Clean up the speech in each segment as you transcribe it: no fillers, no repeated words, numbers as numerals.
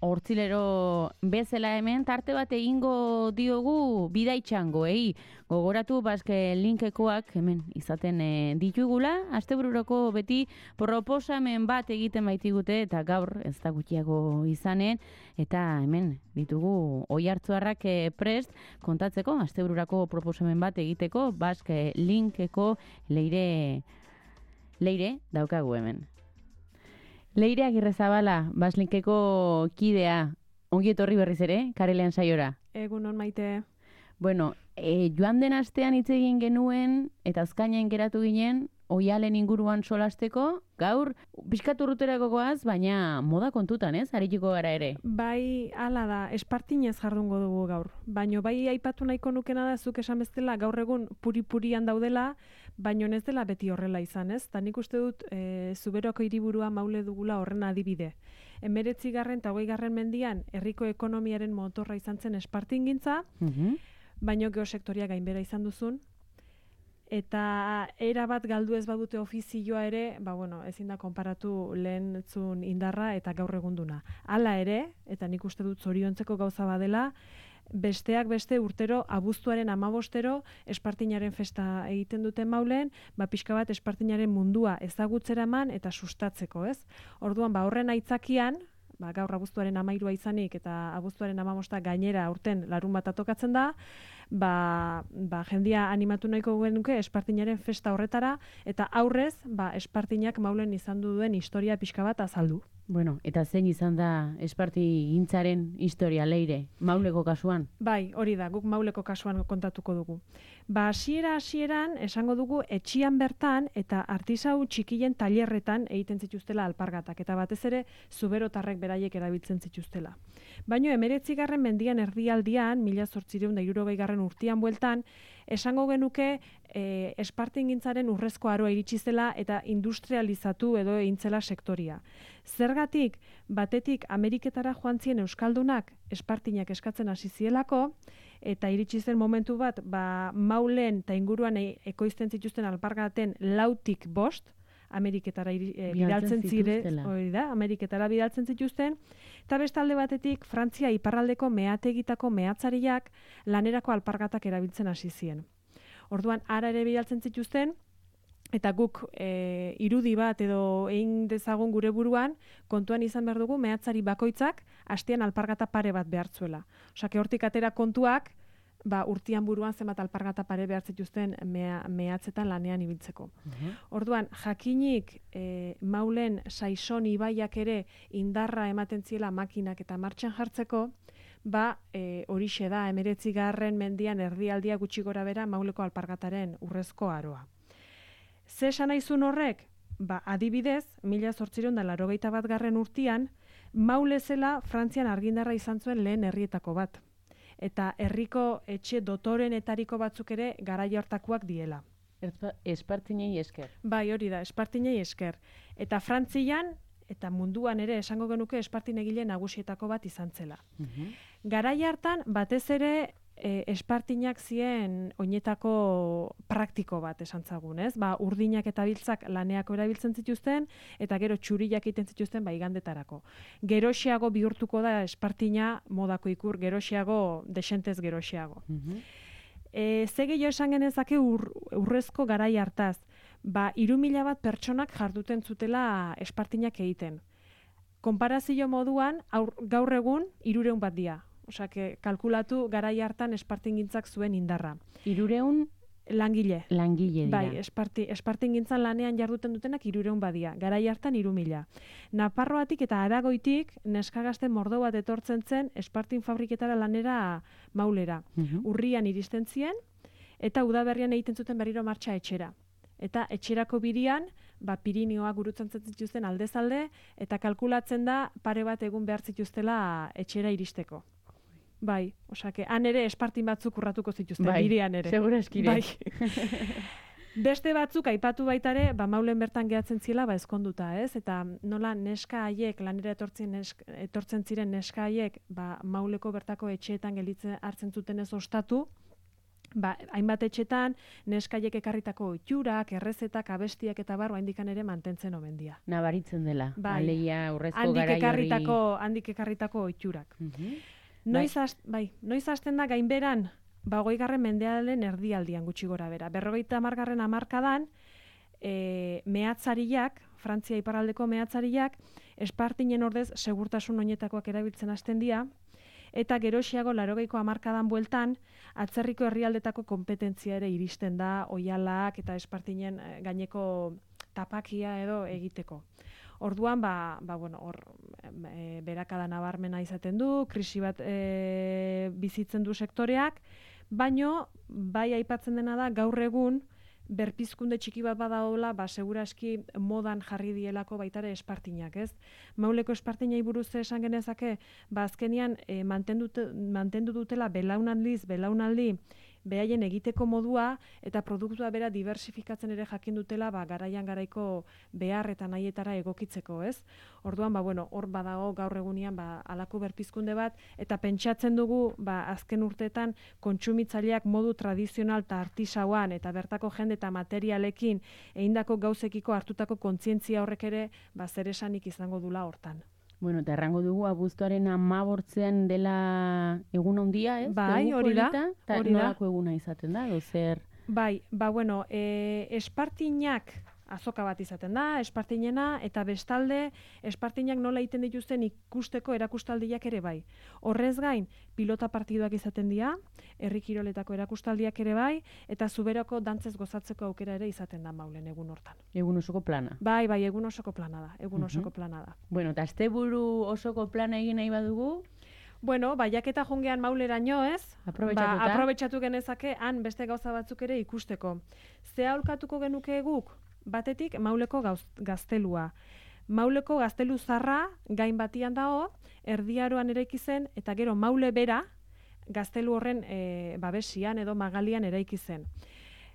Hortzilero bezala hemen tarte bat egingo diogu bidaitxangoei. Gogoratu baske linkekoak hemen izaten ditugula. Astebururoko beti proposamen bat egiten baitigute eta gaur ez da gutxiago izanen. Eta hemen ditugu oihartzuarrak prest kontatzeko astebururako proposamen bat egiteko baske linkeko leire daukagu hemen. Leire Agirrezabala, Baslinkeko kidea, ongi etorri berriz ere, Karelean saiora. Egunon Maite. Bueno, joan den astean hitz egin genuen, eta azkainen geratu ginen, oialen inguruan solasteko, gaur, pixkatu urruterako goaz, baina moda kontutan, ez? Arituko gara ere. Bai, hala da, espartinez jardungo dugu gaur. Baino bai aipatu nahiko nukena da, zuk esan bezala gaur egun puri-purian daudela, baino ez dela beti horrela izan, ez? Ta nik uste dut, Zuberoko hiriburua Maule dugula horren adibide. 19. eta 20. mendian, herriko ekonomiaren motorra izan zen espartingintza, baino geosektoria gainbera izan duzun, eta era bat galdu ez badute ofizioa ere, ezin da konparatu lehentzun indarra eta gaur egunduna. Hala ere, eta nik uste dut zoriontzeko gauza badela, besteak beste urtero, abuztuaren 15 espartinaren festa egiten dute Maulen, pixka bat espartinaren mundua ezagutzera eman eta sustatzeko, ez? Orduan, horren aitzakian, gaur abuztuaren 13 izanik eta abuztuaren 15 gainera aurten larun bat tokatzen da, jendia animatu nahiko genuke espartinaren festa horretara, eta aurrez, espartinak Maulen izan duen historia pixka bat azaldu. Bueno, eta zein izan da espartigintzaren historia, Leire, Mauleko kasuan? Bai, hori da, guk Mauleko kasuan kontatuko dugu. Hasieran esango dugu etxian bertan eta artisau txikien tailerretan egiten zituztela alpargatak, eta batez ere zuberotarrek beraiek erabiltzen zituztela. Baina 19. mendian erdialdian, 1860 urtean bueltan, esango genuke espartingintzaren urrezko aroa iritsi zela eta industrializatu edo eintzela sektoria. Zergatik, batetik Ameriketara joan ziren euskaldunak espartinak eskatzen hasi zielako, eta iritsi zen momentu bat, Maulen eta inguruan ekoizten zituzten alpargaten 4-5 Ameriketara bidaltzen ziren, Ameriketara bidaltzen zituzten, eta bestalde batetik Frantzia iparraldeko meategitako mehatzariak lanerako alpargatak erabiltzen hasi ziren. Orduan, ara ere bidaltzen zituzten, eta guk irudi bat edo egin dezagun gure buruan, kontuan izan behar dugu mehatzari bakoitzak astean alpargata pare bat behartzuela. Osake, hortik atera kontuak, urtian buruan zenbat alpargata pare behar zituzten mehatzetan lanean ibiltzeko. Orduan, jakinik Maulen Saison ibaiak ere indarra ematen ziela makinak eta martxan jartzeko, horixe da 19. mendian erdialdia gutxi gora bera Mauleko alpargataren urrezko aroa. Ze esan naizun horrek? Adibidez, 1881 urtean, Maule zela Frantzian argindarra izan zuen lehen herrietako bat. Eta herriko etxe dotorenetariko batzuk ere garaia hortakoak diela. Espartinei esker. Bai, hori da, espartinei esker. Eta Frantzian, eta munduan ere esango genuke espartinegile nagusietako bat izan zela. Garaia hartan, batez ere, espartinak ziren oinetako praktiko bat esan zagun, ez? Urdinak eta biltzak laneako erabiltzen zituzten, eta gero txuriak egiten zituzten igandetarako. Geroxeago bihurtuko da espartina modako ikur, geroxeago, desentez geroxeago. Ze gehiago esan genezake urrezko garai hartaz, 3.000 bat pertsonak jarduten zutela espartinak egiten. Konparazio moduan, gaur egun 300 bat dira. Osake, kalkulatu garai hartan espartingintzak zuen indarra. 300 langile. Langile dira. Bai, espartingintzan lanean jarduten dutenak 300 badia. Garai hartan 3.000. Nafarroatik eta Aragoitik neskagazte mordo bat etortzen zen espartin fabriketara lanera Maulera. Urrian iristen ziren eta udaberrian egiten zuten berriro martxa etxera. Eta etxerako birian, Pirinioa gurutzen zituzten aldezalde, eta kalkulatzen da pare bat egun behar zituztela etxera iristeko. Bai, osake, han ere espartin batzuk urratuko zituzten, birian ere. Segura eskire. Bai. Beste batzuk aipatu baitare, Maulen bertan gehatzen ziela, ezkonduta, ez? Eta nola neska haiek, lanera etortzen ziren neska haiek, Mauleko bertako etxeetan gelditzen hartzen zuten ez ostatu, hainbat etxetan, neskaiek ekarritako ohiturak, errezetak, abestiak eta bar, oraindikan ere mantentzen omen dira. Nabaritzen dela, Bai. aleia urrezko garai hori. Handik ekarritako ohiturak. Noiz hasten da gainberan, 20. mendearen erdialdian gutxi gora bera. 50. hamarkadan, mehatzariak, Frantzia iparraldeko mehatzariak, Espartinen ordez segurtasun oinetakoak erabiltzen hasten dira, eta geroxiago 80ko hamarkadan bueltan, atzerriko herrialdetako kompetentzia ere iristen da, oihalak eta Espartinen gaineko tapakia edo egiteko. Orduan, berakada nabarmena izaten du, krisi bat bizitzen du sektoreak, baino, bai aipatzen dena da, gaur egun, berpizkunde txiki bat badaola, seguraski modan jarri dielako baitare Espartinak, ez? Mauleko Espartinai buruz esan genezake, azkenian mantendu dutela belaunaldi, behaien egiteko modua eta produktua bera diversifikatzen ere jakin dutela garaian garaiko behar eta nahietara egokitzeko, ez? Orduan, hor badago gaur egunian alako berpizkunde bat, eta pentsatzen dugu, azken urteetan kontsumitzaileak modu tradizional eta artisauan eta bertako jende eta materialekin egindako gauzekiko hartutako kontzientzia horrek ere zer esanik izango dula hortan. Bueno, eta errango dugu abuztuaren 15 dela egun handia, ez? Bai, hori da. Eta nolako eguna izaten da, dozer? Bai, Espartinak azoka bat izaten da, Espartinena, eta bestalde, Espartinak nola egiten dituzten ikusteko erakustaldiak ere bai. Horrez gain, pilota partiduak izaten dira, herri kiroletako erakustaldiak ere bai, eta zuberoko dantzez gozatzeko aukera ere izaten da Maulen egun hortan. Egun osoko plana. Bai, egun osoko plana da, Bueno, eta asteburu osoko plana egin nahi badugu? Bueno, jaketa jongean Mauleraino, ez? Aprobetxatu genezake, han beste gauza batzuk ere ikusteko. Ze aholkatuko genuke guk? Batetik, Mauleko gaztelua. Mauleko gaztelu zarra gain batian dago, erdiaroan eraiki zen, eta gero Maule bera gaztelu horren babesian edo magalian eraiki zen.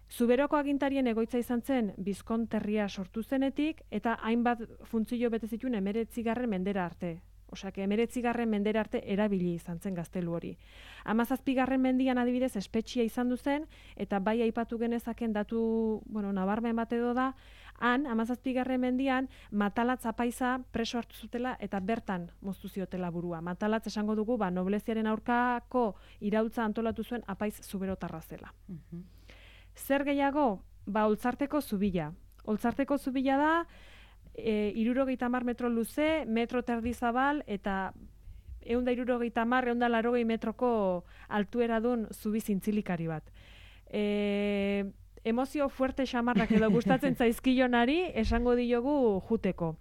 Zuberoko agintarien egoitza izan zen Bizkonterria sortu zenetik, eta hainbat funtzio bete zituen 19. mendera arte. Osak, 19. mendera arte erabili izan zen gaztelu hori. 17. mendian adibidez espetxia izan du zen, eta bai aipatu genezaken datu, nabarmen bat edo da, han, 17. mendian, Matalatz apaiza preso hartu zutela eta bertan moztu ziotela burua. Matalatz esango dugu, nobleziaren aurkako iraultza antolatu zuen apaiz zuberotarra zela. Zer gehiago? Oltzarteko zubila. Oltzarteko zubila da, 70 metro luze, metro terdi zabal, eta 170-180 metroko altuera dun zubi zintzilikari bat. Emozio fuerte xamarrak edo gustatzen zaizkionari esango diogu juteko.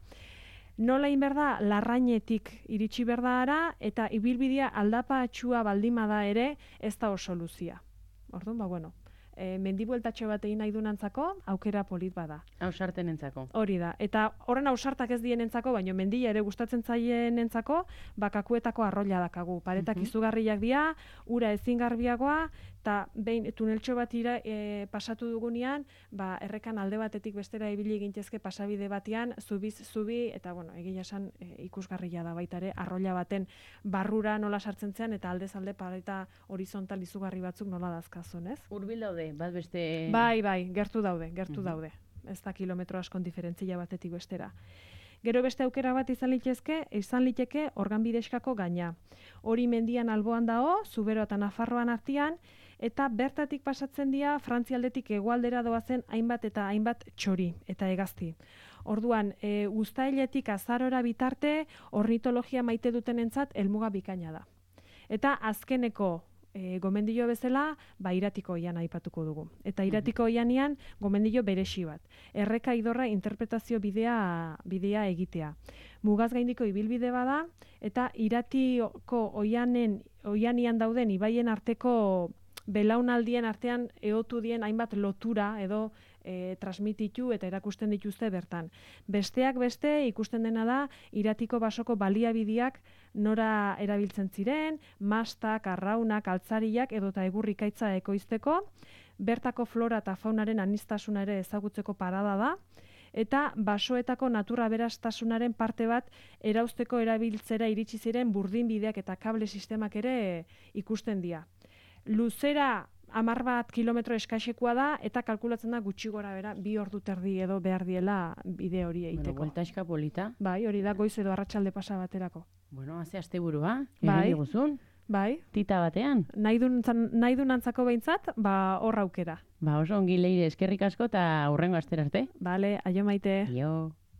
Nola inberda, Larrainetik iritsi berdara, eta ibilbidea aldapatxua baldimada ere ez da oso luzia. Orduan, mendibueltatxo bat egin nahi dunantzako, aukera polit bada. Ausartenentzako. Hori da. Eta horren ausartak ez dienentzako, baino mendia ere gustatzen zaienentzako, kakuetako arroila dakagu. Paretak izugarriak dira, ura ezin garbiagoa, eta behin tuneltxo bat pasatu dugunean, errekan alde batetik bestera ibili gintezke pasabide batean, zubi, eta egia esan ikusgarria da baita ere, arroila baten barrura nola sartzen zean, eta aldez alde pareta horizontal izugarri batzuk nola dazkazun, ez? Hurbil daude, bat beste... Bai, gertu daude. Ez da kilometro askon diferentzia batetik bestera. Gero beste aukera bat izan liteke Organbidexkako gaina. Hori mendian alboan dago, Zubero eta Nafarroan artean, eta bertatik pasatzen dira Frantzialdetik hegoaldera doazen hainbat eta hainbat txori eta hegazti. Orduan, uztailetik azarora bitarte, ornitologia maite dutenentzat helmuga bikaina da. Eta azkeneko gomendio bezala, Iratiko oian aipatuko dugu. Eta Iratiko oianean gomendio beresi bat. Erreka idorra interpretazio bidea egitea. Mugaz gaindiko ibilbide bada, eta Iratiko oianean dauden ibaien arteko belaunaldien artean eotu dien hainbat lotura edo transmititu eta erakusten dituzte bertan. Besteak beste ikusten dena da Iratiko basoko baliabideak nora erabiltzen ziren, mastak, arraunak, altzariak edota egurrikaitza ekoizteko, bertako flora eta faunaren aniztasuna ere ezagutzeko parada da, eta basoetako natura aberastasunaren parte bat erauzteko erabiltzera iritsi ziren burdinbideak eta kable sistemak ere ikusten dira. Luzera 11 kilometro eskaixekoa da, eta kalkulatzen da gutxi gora bera, 2 ordu terdi edo behar diela bide hori egiteko. Bueno, buelta eska polita. Bai, hori da goiz edo arratsalde pasa baterako. Bueno, haze asteburua, Bai. egin guzun. Bai. Tita batean. Nahi du nantzako behintzat, hor aukera. Oso ongi Leire, eskerrik asko eta hurrengo astera arte. Bale, aio maite. Aio.